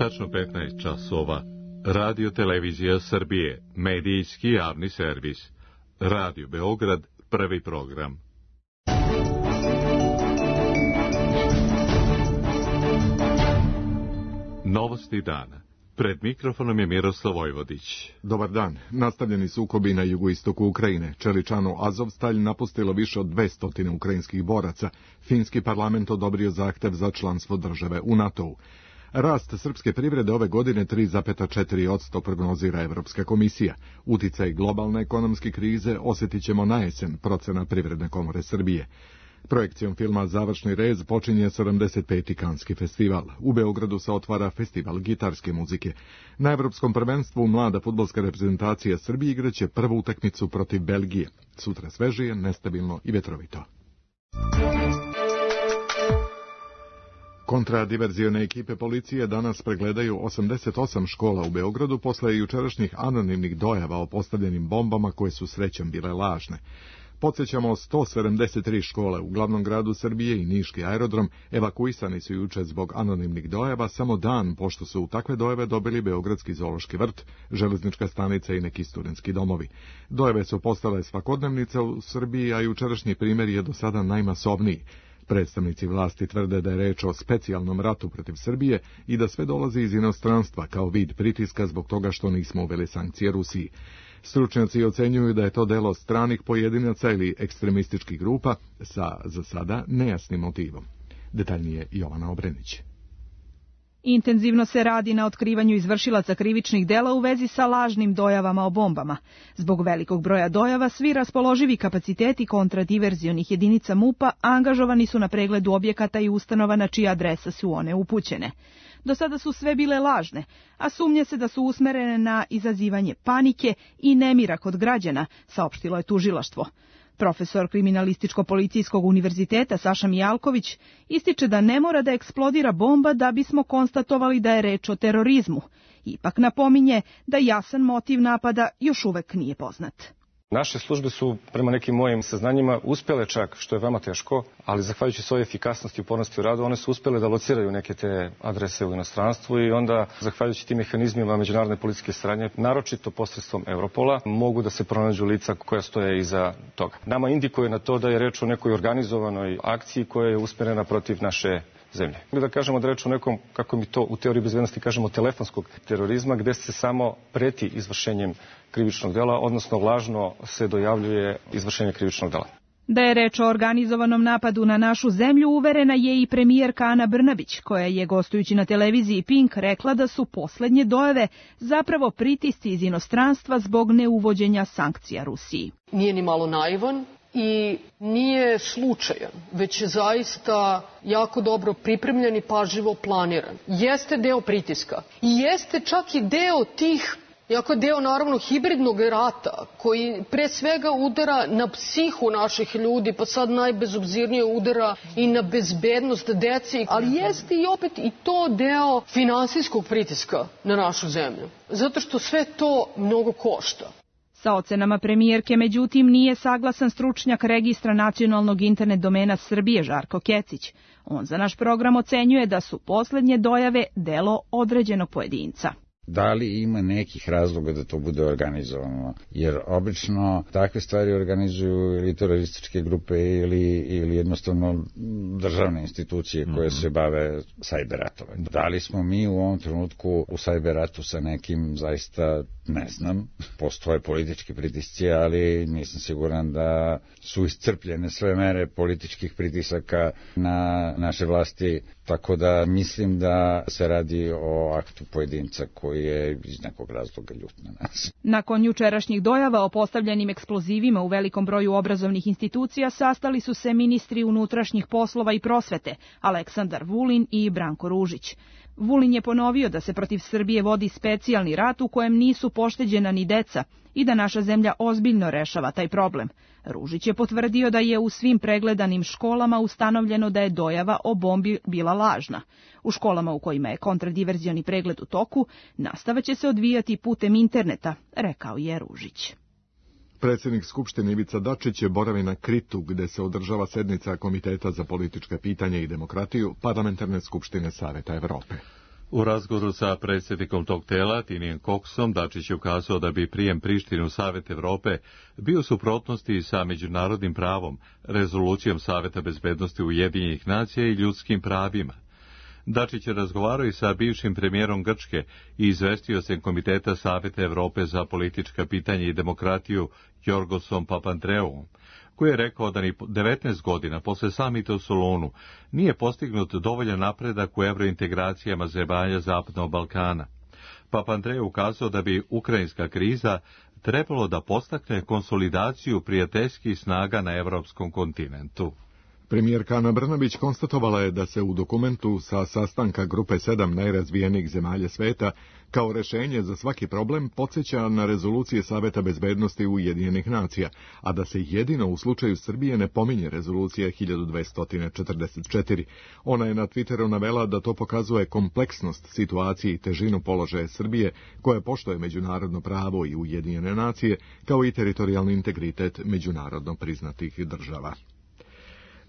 Tačno 15 časova. Radio Televizija Srbije, medijski javni servis. Radio Beograd, prvi program. Novosti dana. Pred mikrofonom je Miroslav Vojvodić. Dobar dan. Nastavljeni sukobi na jugoistoku Ukrajine. Čeličanu Azovstalj napustilo više od 200 ukrajinskih boraca. Finski parlament odobrio zahtev za članstvo države u NATO-u. Rast srpske privrede ove godine 3,4% prognozira Evropska komisija. Uticaj globalne ekonomske krize osjetit ćemo na jesen, procena Privredne komore Srbije. Projekcijom filma Završni rez počinje 75. Kanski festival. U Beogradu se otvara festival gitarske muzike. Na Evropskom prvenstvu mlada fudbalska reprezentacija Srbije igraće prvu utakmicu protiv Belgije. Sutra svežije, nestabilno i vetrovito. Kontradiverzione ekipe policije danas pregledaju 88 škola u Beogradu posle jučerašnjih anonimnih dojava o postavljenim bombama koje su srećom bile lažne. Podsjećamo, 173 škole u glavnom gradu Srbije i niški aerodrom evakuisani su juče zbog anonimnih dojava samo dan pošto su u takve dojave dobili Beogradski zoološki vrt, železnička stanica i neki studentski domovi. Dojave su postale svakodnevnica u Srbiji, a jučerašnji primjer je do sada najmasovniji. Predstavnici vlasti tvrde da je reč o specijalnom ratu protiv Srbije i da sve dolazi iz inostranstva kao vid pritiska zbog toga što nismo uveli sankcije Rusiji. Stručnjaci ocenjuju da je to delo stranih pojedinaca ili ekstremističkih grupa sa, za sada, nejasnim motivom. Detaljnije Jovana Obrenić. Intenzivno se radi na otkrivanju izvršilaca krivičnih dela u vezi sa lažnim dojavama o bombama. Zbog velikog broja dojava, svi raspoloživi kapaciteti kontradiverzionih jedinica MUP-a angažovani su na pregledu objekata i ustanova na čija adresa su one upućene. Do sada su sve bile lažne, a sumnje se da su usmerene na izazivanje panike i nemira kod građana, saopštilo je tužilaštvo. Profesor Kriminalističko-policijskog univerziteta Saša Mijalković ističe da ne mora da eksplodira bomba da bismo konstatovali da je reč o terorizmu. Ipak napominje da jasan motiv napada još uvek nije poznat. Naše službe su, prema nekim mojim saznanjima, uspjele čak, što je veoma teško, ali zahvaljujući svojoj efikasnosti i upornosti u radu, one su uspjele da lociraju neke te adrese u inostranstvu i onda, zahvaljujući tim mehanizmima međunarodne policijske saradnje, naročito posredstvom Europola, mogu da se pronađu lica koja stoje iza toga. Nama indikuje na to da je reč o nekoj organizovanoj akciji koja je usmjerena protiv naše zemlje. Da kažemo da reč o nekom, kako mi to u teoriji bezbednosti kažemo, telefonskog terorizma, gde se samo preti izvršenjem krivičnog dela, odnosno lažno se dojavljuje izvršenje krivičnog dela. Da je reč o organizovanom napadu na našu zemlju uverena je i premijerka Ana Brnabić, koja je gostujući na televiziji Pink rekla da su poslednje dojave zapravo pritisci iz inostranstva zbog neuvođenja sankcija Rusiji. Nije ni malo naivan i nije slučajan, već je zaista jako dobro pripremljen i pažljivo planiran. Jeste deo pritiska i jeste čak i deo tih, jako deo naravno hibridnog rata koji pre svega udara na psihu naših ljudi, pa sad najbezobzirnije udara i na bezbednost dece, ali jeste i opet i to deo finansijskog pritiska na našu zemlju, zato što sve to mnogo košta. Sa ocenama premijerke, međutim, nije saglasan stručnjak registra nacionalnog internet domena Srbije Žarko Kecić. On za naš program ocenjuje da su poslednje dojave delo određenog pojedinca. Da li ima nekih razloga da to bude organizovano? Jer obično takve stvari organizuju ili terorističke grupe ili jednostavno državne institucije koje se bave sajber ratovanjem. Da li smo mi u ovom trenutku u sajber ratu sa nekim, zaista ne znam. Postoje politički pritisci, ali nisam siguran da su iscrpljene sve mere političkih pritisaka na naše vlasti. Tako da mislim da se radi o aktu pojedinca koji je iz nekog razloga ljut na nas. Nakon jučerašnjih dojava o postavljenim eksplozivima u velikom broju obrazovnih institucija sastali su se ministri unutrašnjih poslova i prosvete Aleksandar Vulin i Branko Ružić. Vulin je ponovio da se protiv Srbije vodi specijalni rat u kojem nisu pošteđena ni deca i da naša zemlja ozbiljno rešava taj problem. Ružić je potvrdio da je u svim pregledanim školama ustanovljeno da je dojava o bombi bila lažna. U školama u kojima je kontradiverzioni pregled u toku, nastava će se odvijati putem interneta, rekao je Ružić. Predsjednik Skupštine Ivica Dačić je boravi na Kritu, gde se održava sednica Komiteta za politička pitanja i demokratiju Parlamentarne skupštine Saveta Evrope. U razgovoru sa predsjednikom tog tela, Tinijem Koksom, Dačić je ukazao da bi prijem Prištine u Savet Evrope bio u suprotnosti sa međunarodnim pravom, rezolucijom Saveta bezbednosti Ujedinjenih nacija i ljudskim pravima. Dačić je razgovarao i sa bivšim premijerom Grčke i izvestiocem Komiteta Saveta Evrope za politička pitanja i demokratiju Jorgosom Papandreouom, koji je rekao da ni 19 godina posle samita u Solunu nije postignut dovoljan napredak u evrointegracijama zemalja Zapadnog Balkana. Papandreou ukazao da bi ukrajinska kriza trebalo da podstakne konsolidaciju prijateljskih snaga na evropskom kontinentu. Premijerka Ana Brnabić konstatovala je da se u dokumentu sa sastanka Grupe 7 najrazvijenijih zemalja sveta kao rešenje za svaki problem podsjeća na rezolucije Saveta bezbednosti Ujedinjenih nacija, a da se jedino u slučaju Srbije ne pominje rezolucija 1244. Ona je na Twitteru navela da to pokazuje kompleksnost situacije i težinu položaja Srbije, koja poštuje međunarodno pravo i Ujedinjene nacije, kao i teritorijalni integritet međunarodno priznatih država.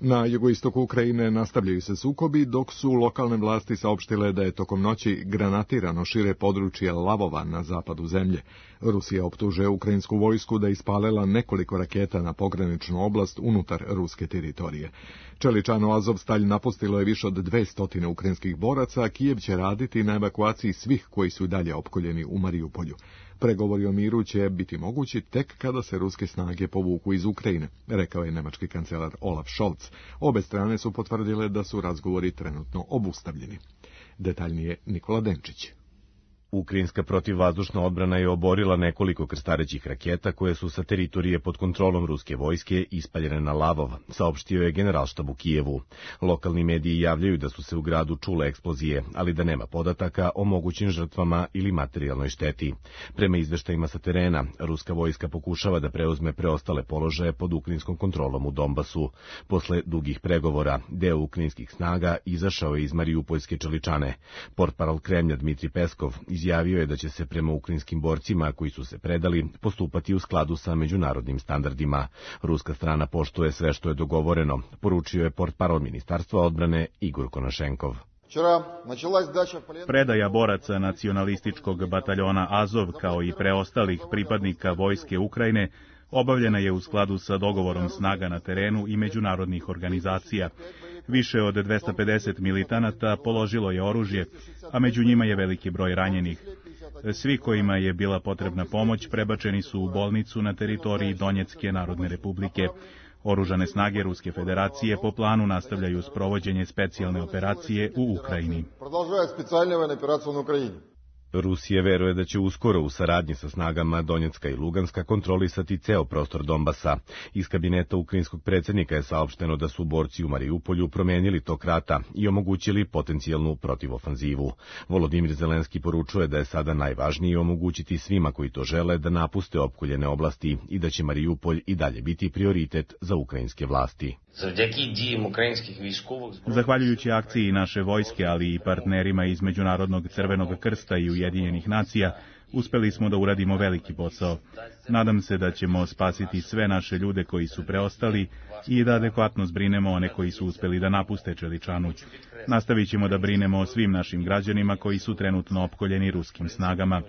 Na jugoistoku Ukrajine nastavljaju se sukobi, dok su lokalne vlasti saopštile da je tokom noći granatirano šire područje Lavova na zapadu zemlje. Rusija optužuje ukrajinsku vojsku da je ispalila nekoliko raketa na pograničnu oblast unutar ruske teritorije. Čeličano Azovstalj napustilo je više od 200 ukrajinskih boraca, a Kijev će raditi na evakuaciji svih koji su dalje opkoljeni u Mariupolju. Pregovori o miru će biti mogući tek kada se ruske snage povuku iz Ukrajine, rekao je nemački kancelar Olaf Scholz. Obe strane su potvrdile da su razgovori trenutno obustavljeni. Detaljnije Nikola Denčić. Ukrajinska protivvazdušna odbrana je oborila nekoliko krstarećih raketa koje su sa teritorije pod kontrolom ruske vojske ispaljene na Lavov, saopštio je generalštab u Kijevu. Lokalni mediji javljaju da su se u gradu čule eksplozije, ali da nema podataka o mogućim žrtvama ili materijalnoj šteti. Prema izveštajima sa terena, ruska vojska pokušava da preuzme preostale položaje pod ukrajinskom kontrolom u Donbasu. Posle dugih pregovora, deo ukrajinskih snaga izašao je iz Mariupoljske Čeličane. Portparol Kremlja Dmitri Peskov izjavio je da će se prema ukrajinskim borcima koji su se predali postupati u skladu sa međunarodnim standardima. Ruska strana poštuje sve što je dogovoreno, poručio je portparol Ministarstva odbrane Igor Konašenkov. Predaja boraca nacionalističkog bataljona Azov kao i preostalih pripadnika vojske Ukrajine obavljena je u skladu sa dogovorom snaga na terenu i međunarodnih organizacija. Više od 250 militanata položilo je oružje, a među njima je veliki broj ranjenih. Svi kojima je bila potrebna pomoć prebačeni su u bolnicu na teritoriji Donjecke Narodne Republike. Oružane snage Ruske federacije po planu nastavljaju sprovođenje specijalne operacije u Ukrajini. Rusija veruje da će uskoro u saradnji sa snagama Donjecka i Luganska kontrolisati ceo prostor Donbasa. Iz kabineta ukrajinskog predsjednika je saopšteno da su borci u Mariupolju promenili tok rata i omogućili potencijalnu protivofanzivu. Volodimir Zelenski poručuje da je sada najvažnije omogućiti svima koji to žele da napuste opkoljene oblasti i da će Mariupolj i dalje biti prioritet za ukrajinske vlasti. Zahvaljujući akciji naše vojske, ali i partnerima iz Međunarodnog Crvenog krsta i Ujedinjenih nacija, uspeli smo da uradimo veliki posao. Nadam se da ćemo spasiti sve naše ljude koji su preostali i da adekvatno zbrinemo one koji su uspeli da napuste Čeličanu. Nastavit ćemo da brinemo o svim našim građanima koji su trenutno opkoljeni ruskim snagama.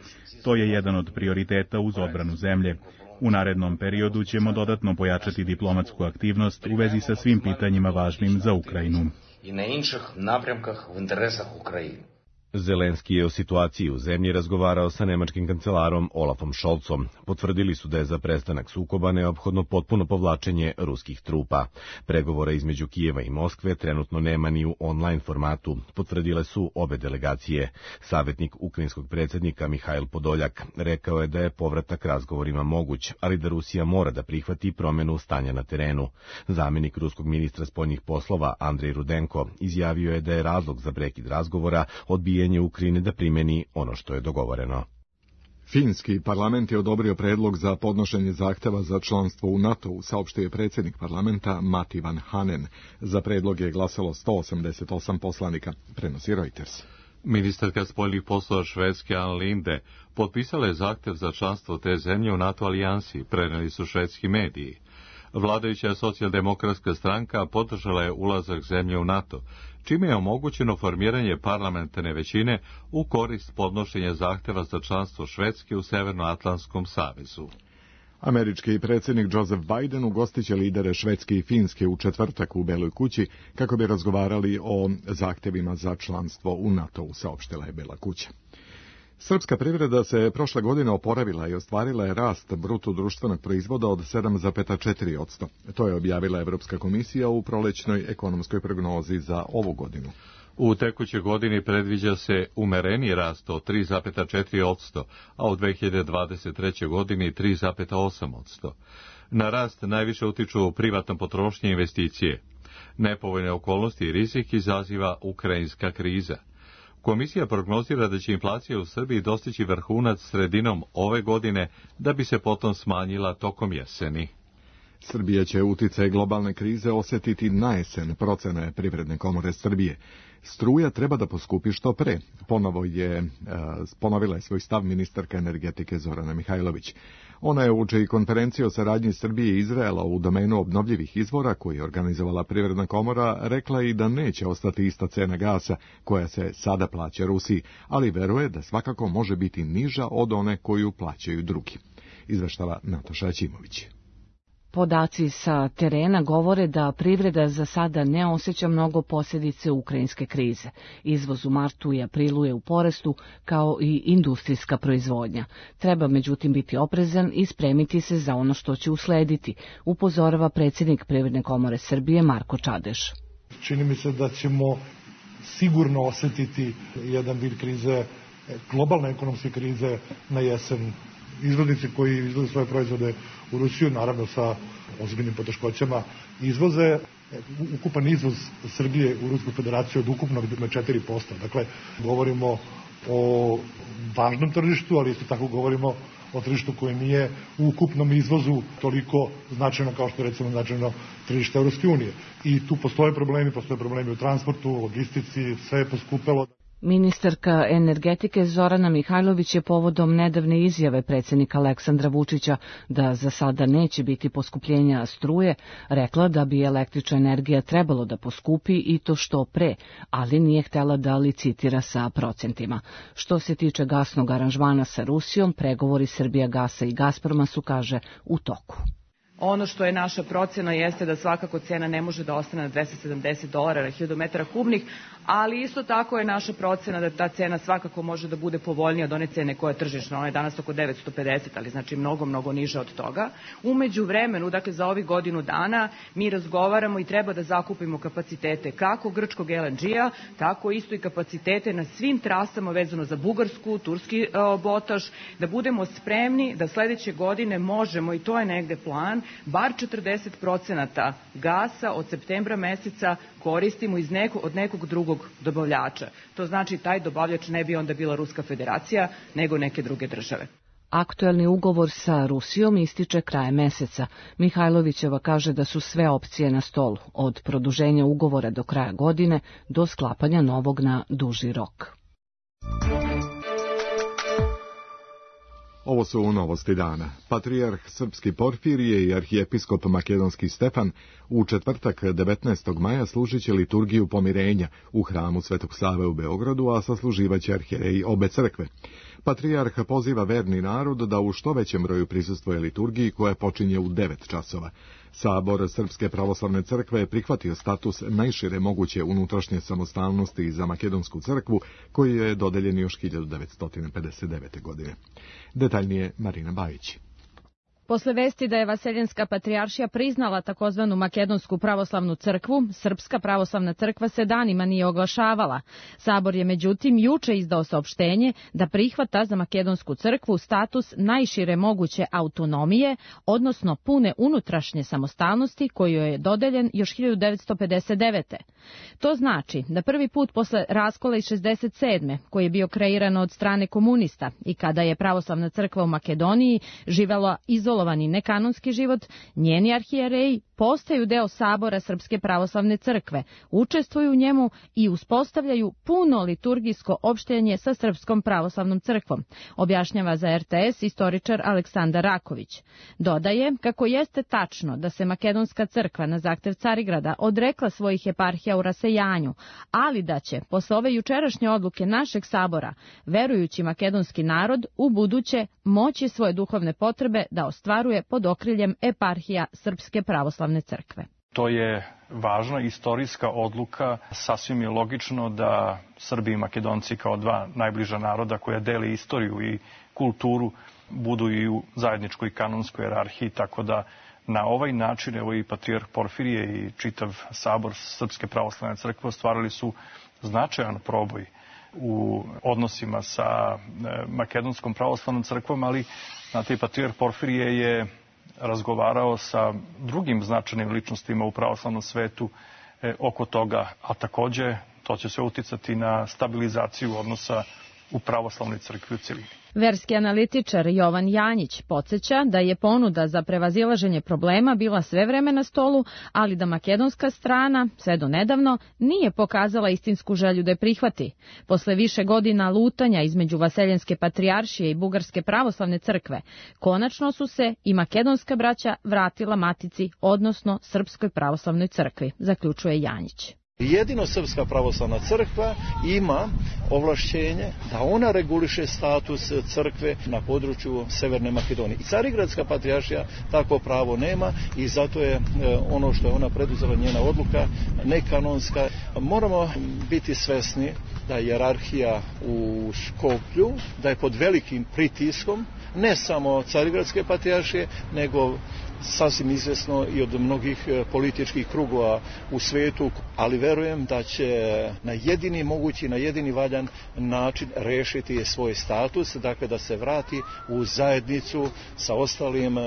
To je jedan od prioriteta uz odbranu zemlje. U narednom periodu ćemo dodatno pojačati diplomatsku aktivnost u vezi sa svim pitanjima važnim za Ukrajinu. Zelenski je o situaciji u zemlji razgovarao sa nemačkim kancelarom Olafom Scholzom. Potvrdili su da je za prestanak sukoba neophodno potpuno povlačenje ruskih trupa. Pregovora između Kijeva i Moskve trenutno nema ni u online formatu, potvrdile su obe delegacije. Savjetnik ukrajinskog predsjednika Mihajl Podoljak rekao je da je povratak razgovorima moguć, ali da Rusija mora da prihvati promjenu stanja na terenu. Zamjenik ruskog ministra spoljnih poslova Andrej Rudenko izjavio je da je razlog za prekid razgovora odbijanje Ukrajine da primjeni ono što je dogovoreno. Finski parlament je odobrio predlog za podnošenje zahteva za članstvo u NATO-u, saopštio je predsjednik parlamenta Matti Vanhanen. Za predlog je glasalo 188 poslanika, prenosi Reuters. Ministarka spoljnih poslova Švedske Ann Linde potpisala je zahtev za članstvo te zemlje u NATO alijansi, preneli su švedski mediji. Vladajuća socijaldemokratska stranka podržala je ulazak zemlje u NATO, čime je omogućeno formiranje parlamentarne većine u korist podnošenja zahteva za članstvo Švedske u Severnoatlantskom savezu. Američki predsjednik Joseph Biden ugostiće lidere Švedske i Finske u četvrtak u Beloj kući kako bi razgovarali o zahtjevima za članstvo u NATO-u, saopštila je Bela kuća. Srpska privreda se prošle godine oporavila i ostvarila je rast bruto društvenog proizvoda od 7,4%. To je objavila Evropska komisija u prolećnoj ekonomskoj prognozi za ovu godinu. U tekućoj godini predviđa se umereni rast od 3,4%, a u 2023. godini 3,8%. Na rast najviše utiču privatna potrošnja i investicije. Nepovoljne okolnosti i rizik izaziva ukrajinska kriza. Komisija prognozira da će inflacija u Srbiji dostići vrhunac sredinom ove godine, da bi se potom smanjila tokom jeseni. Srbija će uticaj globalne krize osjetiti na jesen, procene Privredne komore Srbije. Struja treba da poskupi što pre. Ponovila je svoj stav ministarka energetike Zorana Mihajlović. Ona je uoči konferencije o saradnji Srbije i Izraela u domenu obnovljivih izvora, koju je organizovala Privredna komora, rekla i da neće ostati ista cena gasa koja se sada plaća Rusiji, ali veruje da svakako može biti niža od one koju plaćaju drugi. Izveštava Nataša Ćimović. Podaci sa terena govore da privreda za sada ne osjeća mnogo posljedice ukrajinske krize. Izvoz u martu i aprilu je u porastu, kao i industrijska proizvodnja. Treba međutim biti oprezan i spremiti se za ono što će uslediti, upozorava predsjednik Privredne komore Srbije Marko Čadeš. Čini mi se da ćemo sigurno osjetiti jedan vid krize, globalne ekonomske krize na jesen. Izvoznici koji izvoze svoje proizvode u Rusiju, naravno sa ozbiljnim poteškoćama, izvoze. Ukupan izvoz Srbije u Rusku federaciju od ukupnog na 4%. Dakle, govorimo o važnom tržištu, ali isto tako govorimo o tržištu koje nije u ukupnom izvozu toliko značajno kao što je recimo značajno tržište Europske unije. I tu postoje problemi u transportu, logistici, sve je poskupelo. Ministarka energetike Zorana Mihajlović je povodom nedavne izjave predsjednika Aleksandra Vučića da za sada neće biti poskupljenja struje, rekla da bi električna energija trebalo da poskupi i to što pre, ali nije htjela da licitira sa procentima. Što se tiče gasnog aranžmana sa Rusijom, pregovori Srbijagasa i Gazproma su, kaže, u toku. Ono što je naša procjena jeste da svakako cena ne može da ostane na $270 na 1000 metara kubnih, ali isto tako je naša procjena da ta cena svakako može da bude povoljnija od one cene koja je tržišna. Ona je danas oko 950, ali znači mnogo niža od toga. U međuvremenu, dakle za ovih godinu dana, mi razgovaramo i treba da zakupimo kapacitete kako grčkog LNG-a, tako isto i kapacitete na svim trasama vezano za Bugarsku, turski botaž, da budemo spremni da sledeće godine možemo, i to je negde plan, bar 40% gasa od septembra meseca koristimo od nekog drugog dobavljača. To znači taj dobavljač ne bi onda bila Ruska federacija, nego neke druge države. Aktuelni ugovor sa Rusijom ističe krajem meseca. Mihajlovićeva kaže da su sve opcije na stolu, od produženja ugovora do kraja godine do sklapanja novog na duži rok. Ovo su novosti dana. Patrijarh srpski Porfirije i arhijepiskop makedonski Stefan u četvrtak 19. maja služit će liturgiju pomirenja u hramu Svetog Save u Beogradu, a sasluživaće arhijereji obe crkve. Patrijarh poziva verni narod da u što većem broju prisustvuje liturgiji koja počinje u 9 časova. Sabor Srpske pravoslavne crkve je prihvatio status najšire moguće unutrašnje samostalnosti za makedonsku crkvu, koji je dodeljen još 1959. godine. Detaljnije Marina Bajić. Posle vesti da je Vaseljenska patrijaršija priznala takozvanu Makedonsku pravoslavnu crkvu, Srpska pravoslavna crkva se danima nije oglašavala. Sabor je međutim juče izdao saopštenje da prihvata za Makedonsku crkvu status najšire moguće autonomije, odnosno pune unutrašnje samostalnosti koju je dodeljen još 1959. To znači da prvi put posle raskola iz 67. koji je bio kreiran od strane komunista i kada je pravoslavna crkva u Makedoniji živela izolirano izolovani nekanonski život, njeni arhijereji postaju deo sabora Srpske pravoslavne crkve, učestvuju u njemu i uspostavljaju puno liturgijsko opštenje sa Srpskom pravoslavnom crkvom, objašnjava za RTS istoričar Aleksandar Raković. Dodaje kako jeste tačno da se Makedonska crkva na zahtev Carigrada odrekla svojih eparhija u rasejanju, ali da će, posle ove jučerašnje odluke našeg sabora, verujući makedonski narod u buduće moći svoje duhovne potrebe da ostvaruje pod okriljem eparhija Srpske pravoslavne crkve. To je važna istorijska odluka. Sasvim je logično da Srbi i Makedonci kao dva najbliža naroda koja dele istoriju i kulturu budu i u zajedničkoj kanonskoj jerarhiji, tako da na ovaj način evo i patrijarh Porfirije i čitav sabor Srpske pravoslavne crkve ostvarili su značajan proboj u odnosima sa Makedonskom pravoslavnom crkvom, ali znate, patrijarh Porfirije je razgovarao sa drugim značajnim ličnostima u pravoslavnom svetu oko toga, a takođe to će sve uticati na stabilizaciju odnosa u pravoslavnoj crkvi u celini. Verski analitičar Jovan Janjić podsjeća da je ponuda za prevazilaženje problema bila sve vreme na stolu, ali da makedonska strana, sve do nedavno, nije pokazala istinsku želju da je prihvati. Posle više godina lutanja između Vaseljenske patrijaršije i Bugarske pravoslavne crkve, konačno su se i makedonska braća vratila matici, odnosno Srpskoj pravoslavnoj crkvi, zaključuje Janjić. Jedino Srpska pravoslavna crkva ima ovlašćenje da ona reguliše status crkve na području Severne Makedonije. I Carigradska patrijaršija takvo pravo nema i zato je ono što je ona preduzela, njena odluka, nekanonska. Moramo biti svesni da je hijerarhija u Skoplju, da je pod velikim pritiskom ne samo Carigradske patrijaršije, nego sasvim izvesno i od mnogih političkih krugova u svetu, ali verujem da će na jedini mogući, na jedini valjan način rešiti svoj status, dakle da se vrati u zajednicu sa ostalim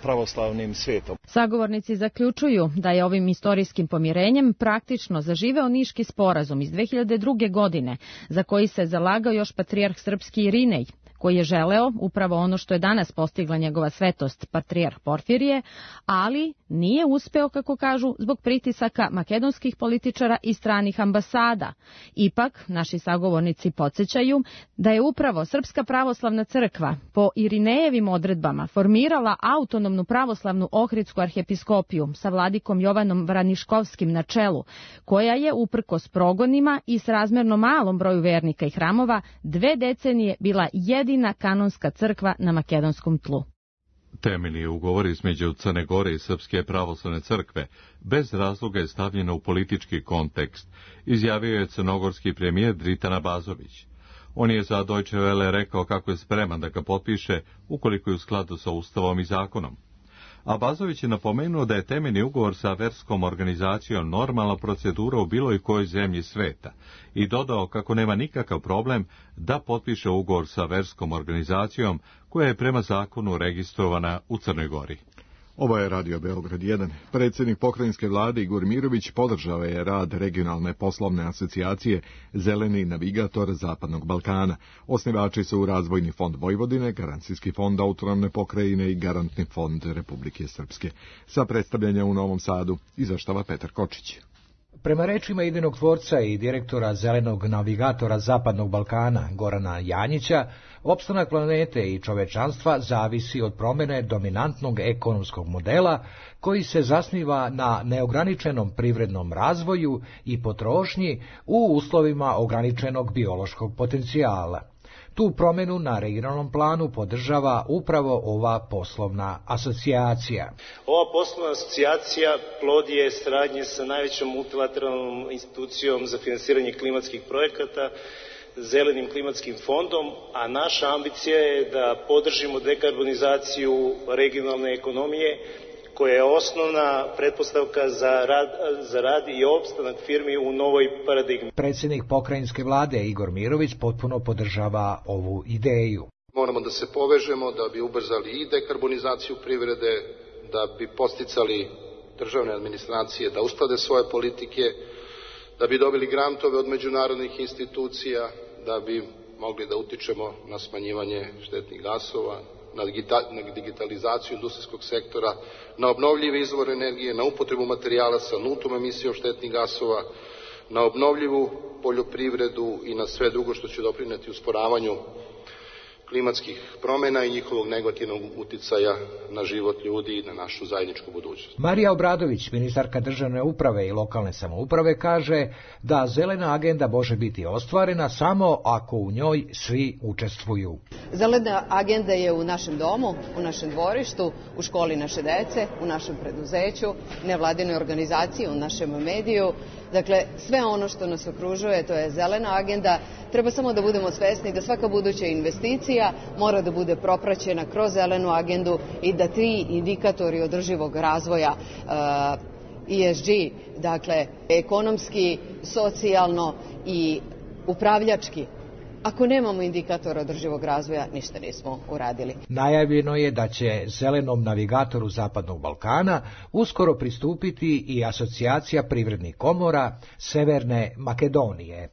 pravoslavnim svetom. Sagovornici zaključuju da je ovim istorijskim pomirenjem praktično zaživeo Niški sporazum iz 2002. godine, za koji se zalagao još patrijarh srpski Irinej, koji je želeo upravo ono što je danas postigla njegova svetost, patrijarh Porfirije, ali nije uspeo, kako kažu, zbog pritisaka makedonskih političara i stranih ambasada. Ipak, naši sagovornici podsjećaju da je upravo Srpska pravoslavna crkva po Irinejevim odredbama formirala autonomnu pravoslavnu Ohridsku arhiepiskopiju sa vladikom Jovanom Vraniškovskim na čelu, koja je uprkos progonima i srazmerno malom broju vernika i hramova 2 decenije bila jedina kanonska crkva na makedonskom tlu. Temeljni ugovor između Crne Gore i Srpske pravoslavne crkve bez razloga je stavljeno u politički kontekst, izjavio je crnogorski premijer Dritan Abazović. On je za Deutsche Welle rekao kako je spreman da ga potpiše ukoliko je u skladu sa Ustavom i zakonom. Abazović je napomenuo da je temeljni ugovor sa verskom organizacijom normalna procedura u bilo kojoj zemlji sveta i dodao kako nema nikakav problem da potpiše ugovor sa verskom organizacijom koja je prema zakonu registrovana u Crnoj Gori. Ovo je Radio Beograd 1. Predsjednik pokrajinske vlade Igor Mirović podržao je rad regionalne poslovne asocijacije Zeleni navigator Zapadnog Balkana. Osnivači su Razvojni fond Vojvodine, Garancijski fond autonomne pokrajine i Garantni fond Republike Srpske. Sa predstavljanja u Novom Sadu izveštava Petar Kočić. Prema rečima idejnog tvorca i direktora Zelenog navigatora Zapadnog Balkana Gorana Janjića, opstanak planete i čovečanstva zavisi od promjene dominantnog ekonomskog modela koji se zasniva na neograničenom privrednom razvoju i potrošnji u uslovima ograničenog biološkog potencijala. Tu promjenu na regionalnom planu podržava upravo ova poslovna asocijacija. Ova poslovna asocijacija plod je saradnje sa najvećom multilateralnom institucijom za finansiranje klimatskih projekata, Zelenim klimatskim fondom, a naša ambicija je da podržimo dekarbonizaciju regionalne ekonomije, koja je osnovna pretpostavka za rad i opstanak firmi u novoj paradigmi. Predsjednik pokrajinske vlade Igor Mirović potpuno podržava ovu ideju. Moramo da se povežemo da bi ubrzali i dekarbonizaciju privrede, da bi posticali državne administracije da usklade svoje politike, da bi dobili grantove od međunarodnih institucija, da bi mogli da utičemo na smanjivanje štetnih gasova, na digitalizaciju industrijskog sektora, na obnovljive izvore energije, na upotrebu materijala sa nultom emisijom štetnih gasova, na obnovljivu poljoprivredu i na sve drugo što će doprineti usporavanju klimatskih promjena i njihovog negativnog uticaja na život ljudi i na našu zajedničku budućnost. Marija Obradović, ministarka državne uprave i lokalne samouprave, kaže da zelena agenda može biti ostvarena samo ako u njoj svi učestvuju. Zelena agenda je u našem domu, u našem dvorištu, u školi naše dece, u našem preduzeću, nevladinoj organizaciji, u našem mediju. Dakle, sve ono što nas okružuje, to je zelena agenda. Treba samo da budemo svesni da svaka buduća investicija mora da bude propraćena kroz zelenu agendu i da ti indikatori održivog razvoja ESG, dakle ekonomski, socijalno i upravljački, ako nemamo indikator održivog razvoja, ništa nismo uradili. Najavljeno je da će zelenom navigatoru Zapadnog Balkana uskoro pristupiti i asocijacija privrednih komora Severne Makedonije.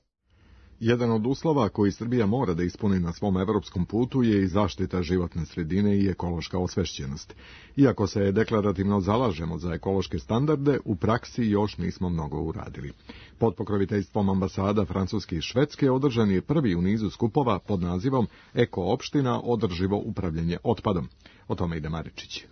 Jedan od uslova koji Srbija mora da ispuni na svom evropskom putu je i zaštita životne sredine i ekološka osvešćenost. Iako se deklarativno zalažemo za ekološke standarde, u praksi još nismo mnogo uradili. Pod pokroviteljstvom ambasada Francuske i Švedske održan je prvi u nizu skupova pod nazivom Eko opština održivo upravljanje otpadom. O tome ide Maričić.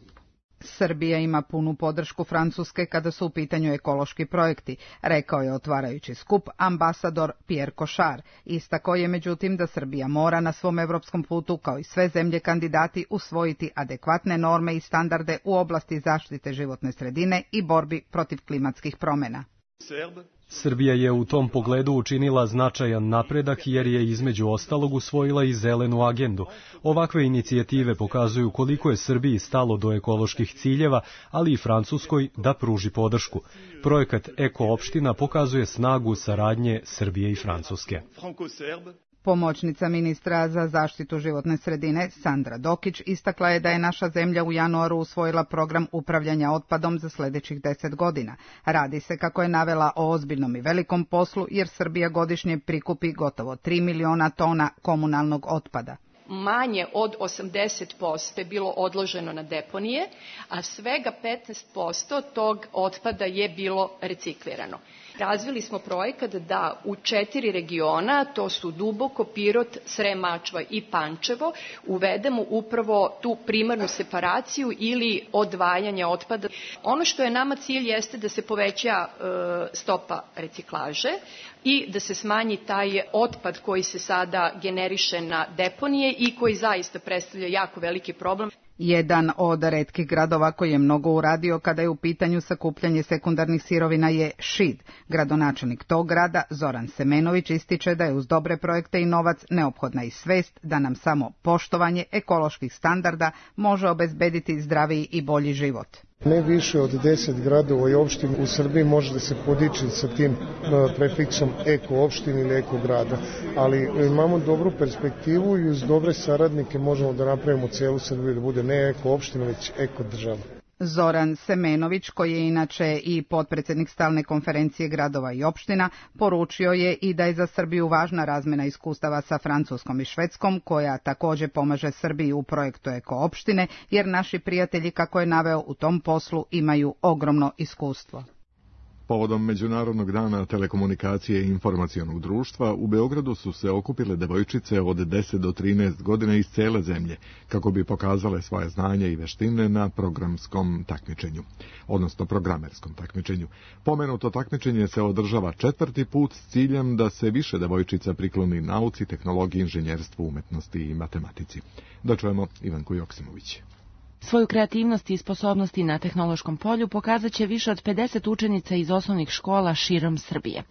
Srbija ima punu podršku Francuske kada su u pitanju ekološki projekti, rekao je otvarajući skup ambasador Pierre Cochard. Istakao je međutim da Srbija mora na svom evropskom putu, kao i sve zemlje kandidati, usvojiti adekvatne norme i standarde u oblasti zaštite životne sredine i borbi protiv klimatskih promjena. Srbija je u tom pogledu učinila značajan napredak jer je između ostalog usvojila i zelenu agendu. Ovakve inicijative pokazuju koliko je Srbiji stalo do ekoloških ciljeva, ali i Francuskoj da pruži podršku. Projekat Eko opština pokazuje snagu saradnje Srbije i Francuske. Pomoćnica ministra za zaštitu životne sredine Sandra Dokić istakla je da je naša zemlja u januaru usvojila program upravljanja otpadom za sljedećih 10 godina. Radi se, kako je navela, o ozbiljnom i velikom poslu jer Srbija godišnje prikupi gotovo 3 miliona tona komunalnog otpada. Manje od 80% je bilo odloženo na deponije, a svega 15% tog otpada je bilo reciklirano. Razvili smo projekat da u 4 regiona, to su Duboko, Pirot, Srem, Mačva i Pančevo, uvedemo upravo tu primarnu separaciju ili odvajanje otpada. Ono što je nama cilj jeste da se poveća stopa reciklaže i da se smanji taj otpad koji se sada generiše na deponije i koji zaista predstavlja jako veliki problem. Jedan od retkih gradova koji je mnogo uradio kada je u pitanju sakupljanje sekundarnih sirovina je Šid. Gradonačelnik tog grada, Zoran Semenović, ističe da je uz dobre projekte i novac neophodna i svest da nam samo poštovanje ekoloških standarda može obezbediti zdraviji i bolji život. Ne više od 10 gradova i opština u Srbiji može da se podiči sa tim prefiksom eko opštine ili eko grada, ali imamo dobru perspektivu i uz dobre saradnike možemo da napravimo celu Srbiju da bude ne eko opština, već eko država. Zoran Semenović, koji je inače i potpredsjednik stalne konferencije gradova i opština, poručio je i da je za Srbiju važna razmjena iskustava sa Francuskom i Švedskom, koja također pomaže Srbiji u projektu Eko opštine, jer naši prijatelji, kako je naveo, u tom poslu imaju ogromno iskustvo. Povodom Međunarodnog dana telekomunikacije i informacionog društva, u Beogradu su se okupile devojčice od 10 do 13 godina iz cele zemlje, kako bi pokazale svoje znanje i veštine na programskom takmičenju, odnosno programerskom takmičenju. Pomenuto takmičenje se održava 4. put s ciljem da se više devojčica prikloni nauci, tehnologiji, inženjerstvu, umetnosti i matematici. Da čujemo Ivanku Joksimović. Svoju kreativnost i sposobnosti na tehnološkom polju pokazat će više od 50 učenica iz osnovnih škola širom Srbije.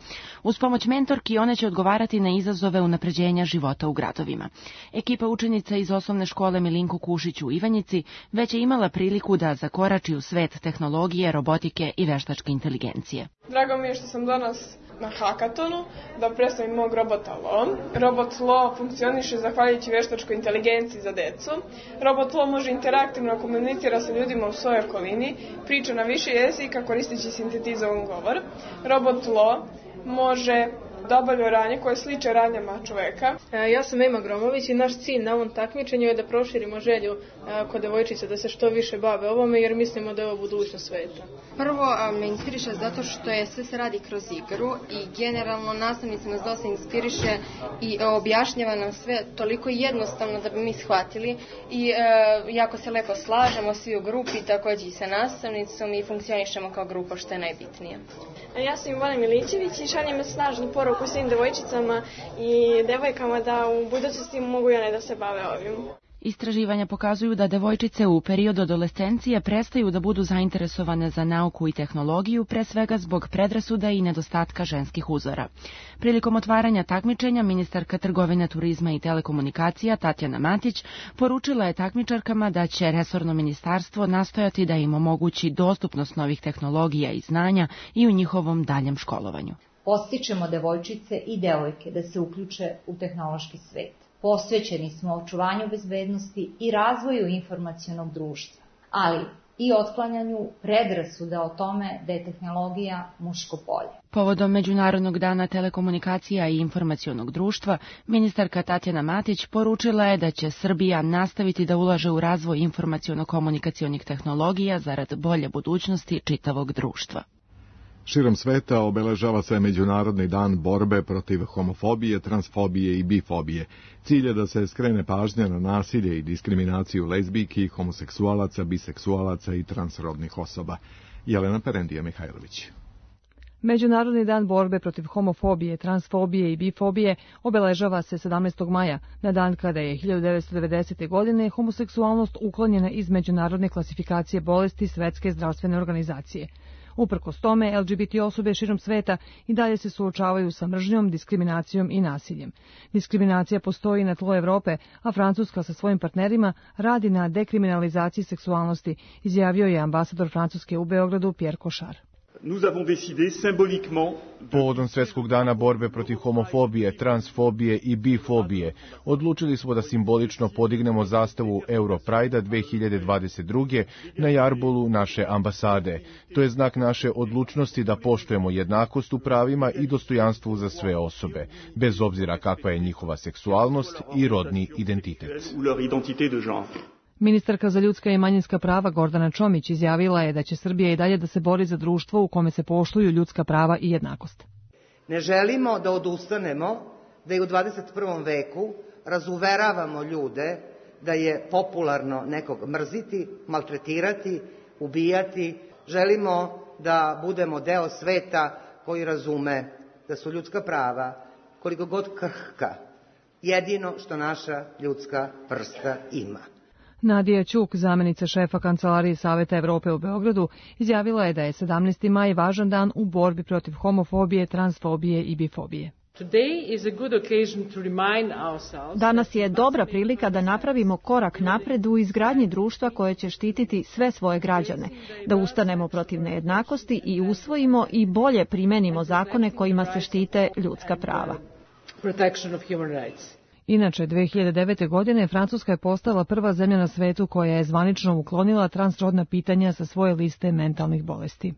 Uz pomoć mentorki one će odgovarati na izazove unapređenja života u gradovima. Ekipa učenica iz osnovne škole Milinko Kušić u Ivanjici već je imala priliku da zakorači u svet tehnologije, robotike i veštačke inteligencije. Drago mi je što sam danas na hakatonu da predstavim mog robota Lo. Robot Lo funkcioniše zahvaljujući veštačkoj inteligenciji za decu. Robot Lo može interaktivno komunicira sa ljudima u svojoj okolini, priča na više jezika koristeći sintetizovan govor. Robot Lo može da obavljaju radnje koje sliče radnjama čoveka. Ja sam Ema Gromović i naš cilj na ovom takmičenju je da proširimo želju kod devojčica da se što više bave ovome, jer mislimo da je ovo budućnost sveta. Prvo me inspiriše zato što je sve se radi kroz igru i generalno nastavnica nas dosta inspiriše i objašnjava nam sve toliko jednostavno da bi mi shvatili i jako se lepo slažemo svi u grupi, takođe i sa nastavnicom i funkcionišemo kao grupa, što je najbitnije. Ja sam Ivana Milićević i šaljem snažnu poruku svim devojčicama i devojkama da u budućnosti mogu i one da se bave ovim. Istraživanja pokazuju da devojčice u periodu adolescencije prestaju da budu zainteresovane za nauku i tehnologiju, pre svega zbog predrasuda i nedostatka ženskih uzora. Prilikom otvaranja takmičenja, ministarka trgovine, turizma i telekomunikacija Tatjana Matić poručila je takmičarkama da će resorno ministarstvo nastojati da im omogući dostupnost novih tehnologija i znanja i u njihovom daljem školovanju. Podstičemo devojčice i devojke da se uključe u tehnološki svet. Posvećeni smo očuvanju bezbednosti i razvoju informacionog društva, ali i otklanjanju predrasuda o tome da je tehnologija muško polje. Povodom Međunarodnog dana telekomunikacija i informacionog društva, ministarka Tatjana Matić poručila je da će Srbija nastaviti da ulaže u razvoj informaciono-komunikacionih tehnologija zarad bolje budućnosti čitavog društva. Širom sveta obeležava se Međunarodni dan borbe protiv homofobije, transfobije i bifobije. Cilj je da se skrene pažnja na nasilje i diskriminaciju lezbijki, homoseksualaca, biseksualaca i transrodnih osoba. Jelena Perendija Mihajlović. Međunarodni dan borbe protiv homofobije, transfobije i bifobije obeležava se 17. maja, na dan kada je 1990. godine homoseksualnost uklonjena iz međunarodne klasifikacije bolesti Svetske zdravstvene organizacije. Uprkos tome, LGBT osobe širom sveta i dalje se suočavaju sa mržnjom, diskriminacijom i nasiljem. Diskriminacija postoji na tlu Evrope, a Francuska sa svojim partnerima radi na dekriminalizaciji seksualnosti, izjavio je ambasador Francuske u Beogradu Pierre Cochard. Povodom Svetskog dana borbe protiv homofobije, transfobije i bifobije, odlučili smo da simbolično podignemo zastavu Europride-a 2022. na jarbolu naše ambasade. To je znak naše odlučnosti da poštujemo jednakost u pravima i dostojanstvu za sve osobe, bez obzira kakva je njihova seksualnost i rodni identitet. Ministarka za ljudska i manjinska prava Gordana Čomić izjavila je da će Srbija i dalje da se bori za društvo u kome se poštuju ljudska prava i jednakost. Ne želimo da odustanemo, da i u 21. veku razuveravamo ljude da je popularno nekog mrziti, maltretirati, ubijati. Želimo da budemo deo sveta koji razume da su ljudska prava, koliko god krhka, jedino što naša ljudska vrsta ima. Nadija Ćuk, zamenica šefa Kancelarije Saveta Evrope u Beogradu, izjavila je da je 17. maj važan dan u borbi protiv homofobije, transfobije i bifobije. Danas je dobra prilika da napravimo korak napred u izgradnji društva koje će štititi sve svoje građane, da ustanemo protiv nejednakosti i usvojimo i bolje primenimo zakone kojima se štite ljudska prava. Inače, 2009. godine Francuska je postala prva zemlja na svetu koja je zvanično uklonila transrodna pitanja sa svoje liste mentalnih bolesti.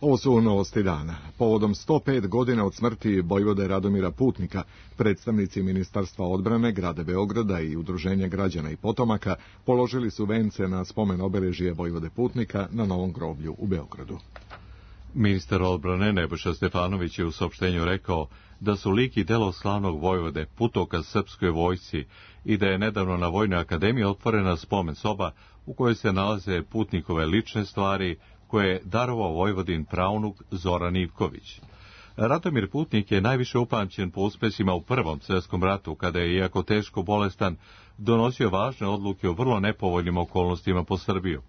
Ovo su novosti dana. Povodom 105 godina od smrti vojvode Radomira Putnika, predstavnici Ministarstva odbrane grada Beograda i Udruženja građana i potomaka položili su vence na spomen obeležje vojvode Putnika na Novom groblju u Beogradu. Ministar odbrane Nebojša Stefanović je u saopštenju rekao da su lik i delo slavnog vojvode putokaz srpskoj vojsci i da je nedavno na Vojnoj akademiji otvorena spomen soba u kojoj se nalaze Putnikove lične stvari koje je darovao vojvodin praunuk Zoran Ivković. Radomir Putnik je najviše upamćen po uspesima u Prvom svjetskom ratu, kada je, iako teško bolestan, donosio važne odluke u vrlo nepovoljnim okolnostima po Srbiju.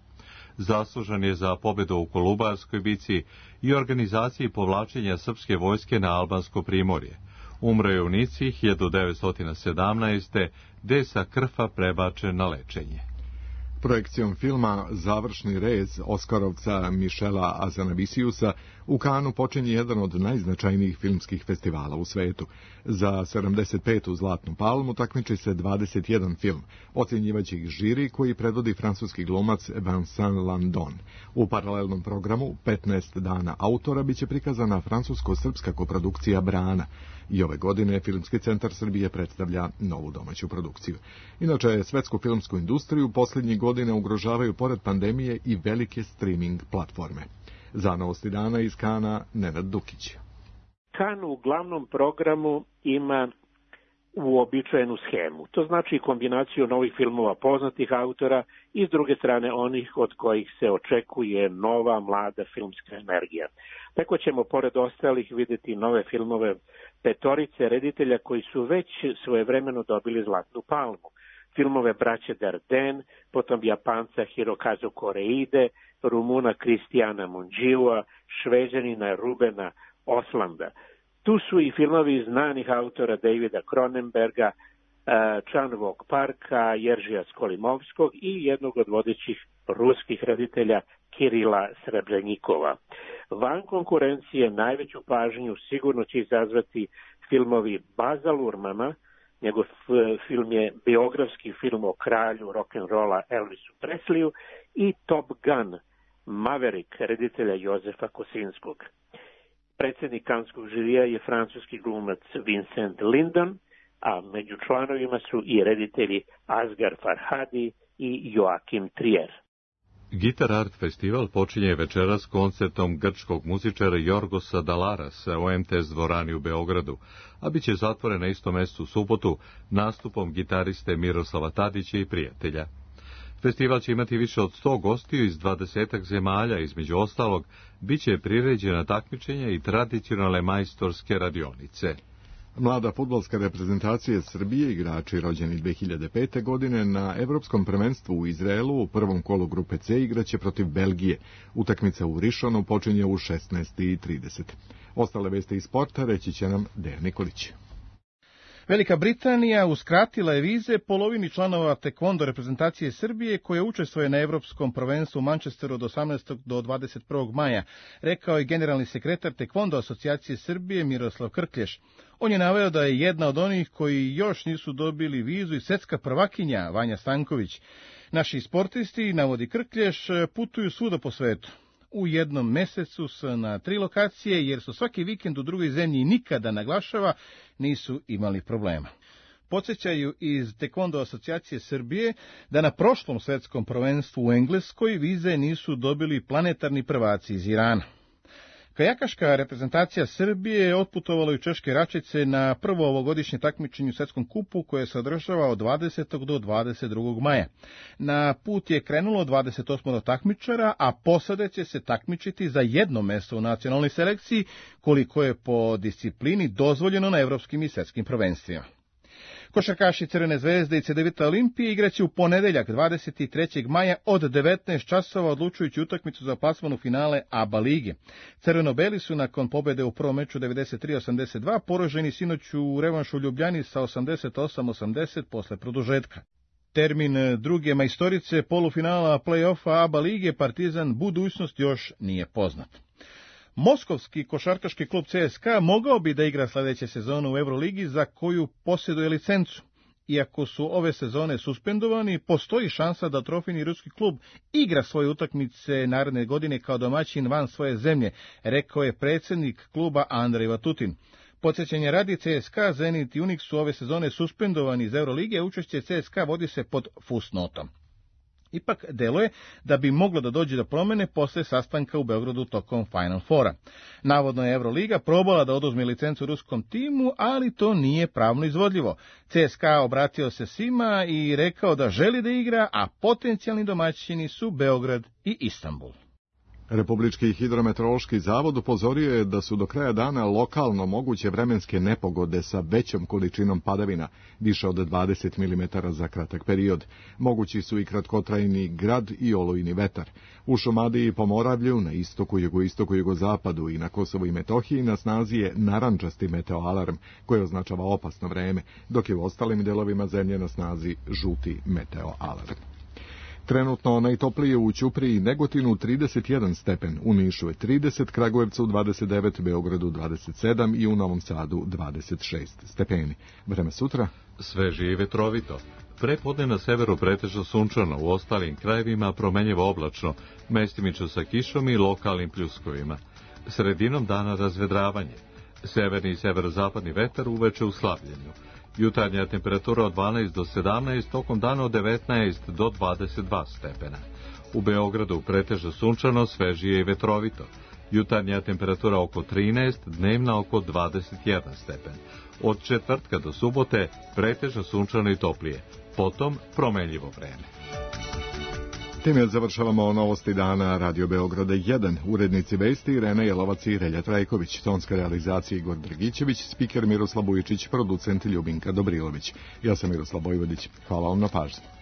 Zaslužan je za pobedu u Kolubarskoj bici i organizaciji povlačenja srpske vojske na albansko primorje. Umro je u Nici 1917. gde je sa Krfa prebačen na lečenje. Projekcijom filma Završni rez Oskarovca Mišela Azanavisiusa U Kanu počinje jedan od najznačajnijih filmskih festivala u svetu. Za 75. Zlatnu palmu takmiči se 21 film, ocjenjivaće ih žiri koji predvodi francuski glumac Vincent Landon. U paralelnom programu 15 dana autora biće prikazana francusko-srpska koprodukcija Brana. I ove godine Filmski centar Srbije predstavlja novu domaću produkciju. Inače, svetsku filmsku industriju posljednjih godina ugrožavaju pored pandemije i velike streaming platforme. Za Novosti dana iz Kana, Nenad Dukić. Kan u glavnom programu ima uobičajenu schemu. To znači kombinaciju novih filmova poznatih autora i s druge strane onih od kojih se očekuje nova, mlada filmska energija. Tako ćemo pored ostalih vidjeti nove filmove petorice reditelja koji su već svojevremeno dobili Zlatnu palmu. Filmove braće Dardenne, potom Japanca Hirokazu Koreide, Rumuna Kristijana Munđiua, Šveđanina Rubena Oslanda. Tu su i filmovi znanih autora Davida Cronenberga, Chan-Wook Parka, Jeržija Skolimovskog i jednog od vodećih ruskih reditelja Kirila Srebrenikova. Van konkurencije najveću pažnju sigurno će izazvati filmovi Baza Lurmana, njegov film je biografski film o kralju rock'n'rolla Elvisu Presleyu, i Top Gun, Maverick, reditelja Jozefa Kosinskog. Predsjednik Kanskog žirija je francuski glumac Vincent Lindon, a među članovima su i reditelji Asghar Farhadi i Joachim Trier. Guitar Art festival počinje večeras koncertom grčkog muzičara Jorgosa Dalarasa u MTS dvorani u Beogradu, a bit će zatvoren na istom mjestu u subotu nastupom gitariste Miroslava Tadića i prijatelja. Festival će imati više od 100 gostiju iz 20 zemalja, između ostalog, bit će priređena takmičenja i tradicionalne majstorske radionice. Mlada fudbalska reprezentacija Srbije, igrači rođeni 2005. godine, na Evropskom prvenstvu u Izraelu u prvom kolu grupe C igraće protiv Belgije. Utakmica u Rišonu počinje u 16:30. Ostale vesti iz sporta reći će nam Dejan Nikolić. Velika Britanija uskratila je vize polovini članova tekvondo reprezentacije Srbije koje učestvuje na Evropskom prvenstvu u Manchesteru od 18. do 21. maja, rekao je generalni sekretar tekvondo asocijacije Srbije Miroslav Krklješ. On je naveo da je jedna od onih koji još nisu dobili vizu i svjetska prvakinja Vanja Stanković. Naši sportisti, navodi Krklješ, putuju svuda po svetu. U jednom mesecu su na 3 lokacije, jer su svaki vikend u drugoj zemlji i nikada, naglašava, nisu imali problema. Podsjećaju iz Tekvondo asocijacije Srbije da na prošlom svjetskom prvenstvu u Engleskoj vize nisu dobili planetarni prvaci iz Irana. Kajakaška reprezentacija Srbije je otputovala u Češke Račice na prvo ovogodišnje takmičenje u svjetskom kupu koje se održava od 20. do 22. maja. Na put je krenulo 28 takmičara, a posade će se takmičiti za jedno mjesto u nacionalnoj selekciji, koliko je po disciplini dozvoljeno na evropskim i svjetskim prvenstvima. Košarkaši Crvene zvezde i Cedevita Olimpije igraće u ponedeljak 23. maja od 19 časova odlučujući utakmicu za plasman u finale ABA lige. Crveno-beli su nakon pobjede u prvom meču 93-82 poraženi sinoć u revanšu u Ljubljani sa 88-80 posle produžetka. Termin druge majstorice polufinala play-offa ABA lige Partizan budućnost još nije poznat. Moskovski košarkaški klub CSKA mogao bi da igra sljedeće sezone u Euroligi za koju posjeduje licencu. Iako su ove sezone suspendovani, postoji šansa da trofejni ruski klub igra svoje utakmice naredne godine kao domaćin van svoje zemlje, rekao je predsjednik kluba Andrej Vatutin. Podsjećanje radi, CSKA, Zenit i Unix su ove sezone suspendovani iz Eurolige, učešće CSKA vodi se pod fusnotom. Ipak deluje da bi moglo da dođe do promjene posle sastanka u Beogradu tokom Final Fora. Navodno je Euroliga probala da oduzme licencu ruskom timu, ali to nije pravno izvodljivo. CSKA obratio se svima i rekao da želi da igra, a potencijalni domaćini su Beograd i Istanbul. Republički hidrometeorološki zavod upozorio je da su do kraja dana lokalno moguće vremenske nepogode sa većom količinom padavina, više od 20 mm za kratak period. Mogući su i kratkotrajni grad i olujni vetar. U Šumadiji i Pomoravlju, na istoku, jugoistoku, jugozapadu i na Kosovu i Metohiji na snazi je narančasti meteoalarm, koji označava opasno vreme, dok je u ostalim delovima zemlje na snazi žuti meteoalarm. Trenutno najtoplije u Ćupriji i Negotinu 31 stepen, u Nišu je 30, Kragujevcu 29, Beogradu 27 i u Novom Sadu 26 stepeni. Vreme sutra? Sveže i vetrovito. Prepodne na severu pretežno sunčano, u ostalim krajevima promenljivo oblačno, mestimično sa kišom i lokalnim pljuskovima. Sredinom dana razvedravanje. Severni i severozapadni vetar uveče u slabljenju. Jutarnja temperatura od 12 do 17, tokom dana od 19 do 22 stepena. U Beogradu pretežno sunčano, svežije i vetrovito. Jutarnja temperatura oko 13, dnevna oko 21 stepen. Od četvrtka do subote pretežno sunčano i toplije. Potom promenljivo vreme. Time završavamo novosti dana Radio Beograda 1. Urednici vesti Irena Jelovac i Relja Trajković, tonska realizacija Igor Dragićević, spiker Miroslav Bujičić, producent Ljubinka Dobrilović. Ja sam Miroslav Vojvodić. Hvala vam na pažnji.